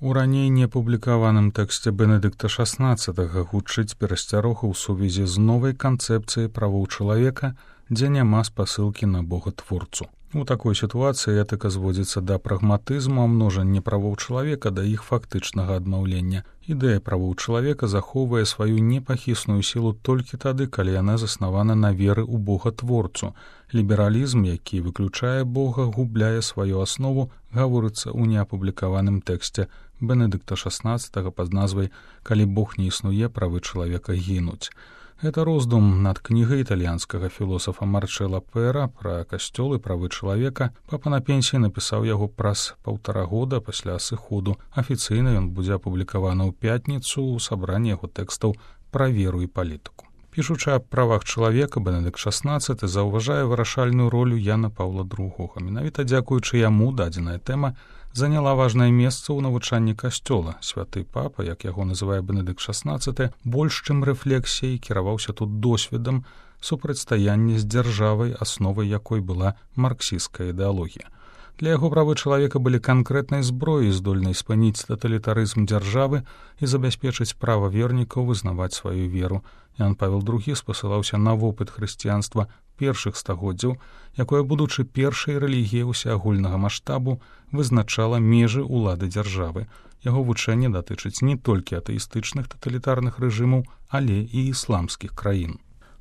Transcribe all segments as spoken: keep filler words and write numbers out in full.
У раней непублікаваным тэксце Бенедыкта шаснаццатага гучыць перасцярога ў сувязі з новай канцэпцыяй правоў чалавека, дзе няма спасылкі на Бога-творцу. У такой сітуацыі этыка зводзіцца да прагматызму, а множанне правоў чалавека да іх фактычнага адмаўлення. Ідэя правоў чалавека захоўвае сваю непахісную сілу толькі тады, калі яна заснавана на веры ў Бога-творцу. Лібералізм, які выключае Бога, губляе сваю аснову, гаворыцца ў неапублікаваным тэксце Бенедыкта шаснаццатага пад назвай «Калі Бог не існуе, правы чалавека гінуць». Гэта роздум над кнігай італьянскага філосафа Марчэла Пэра пра касцёл і правы чалавека. Папа на пенсіі напісаў яго праз паўтара года пасля сыходу. Афіцыйна ён будзе апублікаваны ў пятніцу ў сабранні яго тэкстаў пра веру і палітыку. Пішучы аб правах чалавека, Бенедыкт шаснаццаты заўважае вырашальную ролю Яна Паўла другога. Менавіта дзякуючы яму дадзеная тэма заняла важнае месца ў навучанні касцёла. Святы папа, як яго называе Бенедыкт шаснаццаты, больш чым рэфлексіяй кіраваўся тут досведам супрацьстаяння з дзяржавай, асновай якой была марксісцкая ідэалогія. Для яго правы чалавека былі канкрэтнай зброяй, здольнай спыніць таталітарызм дзяржавы і забяспечыць права вернікаў вызнаваць сваю веру. Ян Павел другі спасылаўся на вопыт хрысціянства першых стагоддзяў, якое, будучы першай рэлігіяй усеагульнага маштабу, вызначала межы ўлады дзяржавы. Яго вучэнне датычыць не толькі атэістычных таталітарных рэжымаў, але і ісламскіх краін.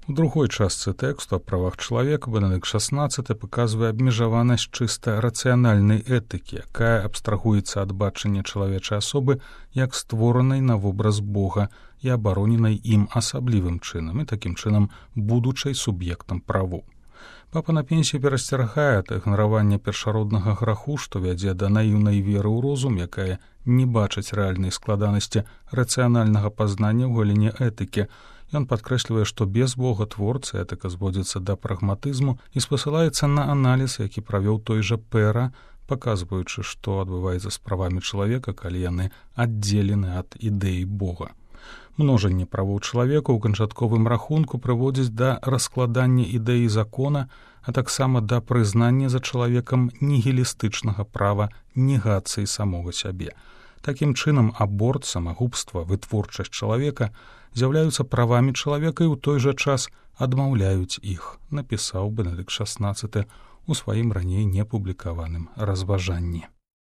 У другой частцы тэксту аб правах чалавека Бенедыкт шаснаццаты паказвае абмежаванасць чыста рацыянальнай этыкі, якая абстрагуецца ад бачання чалавечай асобы як створанай на вобраз Бога і абароненай ім асаблівым чынам і такім чынам будучай суб'ектам правоў. Папа на пенсіі перасцерагае ад ігнаравання першароднага граху, што вядзе да наіўнай веры ў розум, якая не бачыць рэальнай складанасці рацыянальнага пазнання ў галіне этыкі. Ён падкрэслівае, што без Бога-творцы этыка зводзіцца да прагматызму і спасылаецца на аналіз, які правёў той жа Пэра, паказваючы, што адбываецца з правамі чалавека, калі яны аддзелены ад ідэі Бога. Множанне правоў чалавека ў канчатковым рахунку прыводзіць да раскладання ідэі закона, а таксама да прызнання за чалавекам нігілістычнага права негацыі самога сябе. Такім чынам аборт, самагубства, вытворчасць чалавека з'яўляюцца правамі чалавека і ў той жа час адмаўляюць іх, напісаў Бенедыкт шаснаццаты ў сваім раней непублікаваным разважанні.